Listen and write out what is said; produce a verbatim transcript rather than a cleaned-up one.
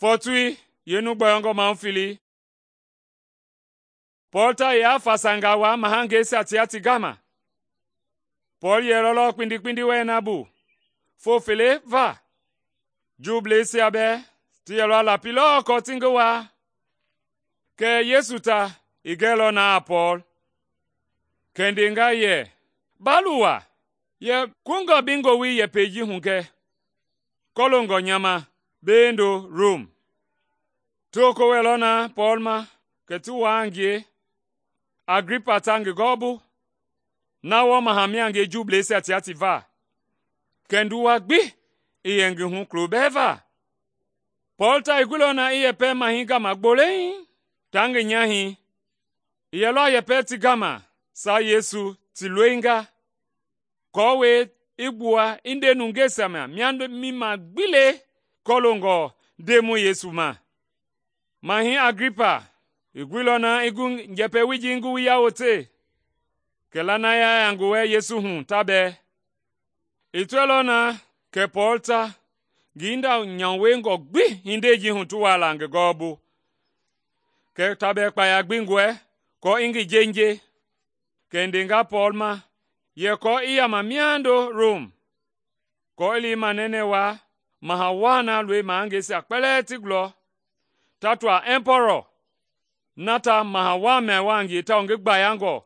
Fɔɔtui yeenu gbɔyɔngɔ mahu fili, Pɔɔl ta yea fasangaa waa mahangeisia tia ti gama. Pɔɔl yɛlɔ lɔ kpindi wɛɛ na bu foo fele va. Juubleisia bɛɛ ti yɛlɔ a lapi lɔɔ aako ti ngi waa. Kɛɛ Yesu ta i gɛilɔ na a Pɔɔl, kɛ i ndenga yɛ, “Ba luwa, yɛ kungɔ bi ngowili yɛpɛi ji hugɛ kɔloongɔ nya ma beendo Rom.” Ti woko wɛilɔ na Pɔɔl ma kɛ ti waa a ngie. Agripa ta ngi gɔɔbu, na wɔɔ maha mia a ngie Juubleisia tia ti va, kɛ nduwa gbi i yɛ ngi hu kulo bɛɛ va. Pɔɔl ta i guilɔ na i yɛpɛ mahɛi gama gbolei taa ngi nyahɛi. I yɛlɔ a yɛpɛ ti gama saa Yesu ti loinga, aako i gbua i nde nungeisia ma mia mima gbi le kɔloongɔ Ndemɔi Yesu ma. Mahɛi Agripa i guilɔ na i gu njɛpɛ wiji i nguwuya wote, kɛ lanaya ya ngi wɛ Yesu hu ta bɛɛ. I tɔɛilɔ na kɛ Pɔɔl ta ngi hinda nyamuyengɔ gbi hindei ji hu ti waa la ngi gɔɔbu, kɛ ta bɛɛ kpaya gbi gɔɛ aako i ngi jenje. Kɛ i ndenga Pɔɔl ma yɛ aako i yama miando Rom, aako i li i manɛnɛ waa maha waa na loi mahangeisia kpɛlɛɛ ti gulɔ, ta tɔa Ɛmpɔlɔ na ta maha waa mia waa a ngie tawao ngi gbayangɔ